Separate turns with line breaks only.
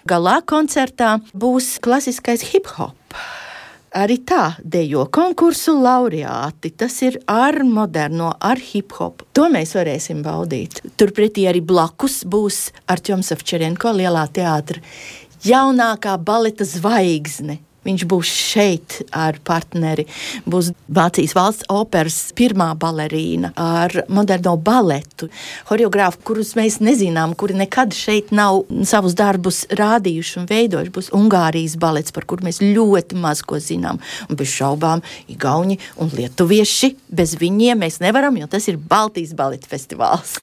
Galā koncertā būs klasiskais hip-hop. Arī tā dejo konkursu laureāti. Tas ir ar moderno, ar hip-hop. To mēs varēsim baudīt. Turpretī arī blakus būs Artjoms Savčerenko, Lielā teātra jaunākā baleta zvaigzne. Viņš būs šeit ar partneri. Būs Vācijas valsts operas pirmā balerīna ar moderno baletu. Horeogrāfi, kurus mēs nezinām, kuri nekad šeit nav savus darbus rādījuši un veidojuši. Būs Ungārijas balets, par kuru mēs ļoti maz ko zinām. Un bez šaubām igauņi un lietuvieši. Bez viņiem mēs nevaram, jo tas ir Baltijas baleta festivāls.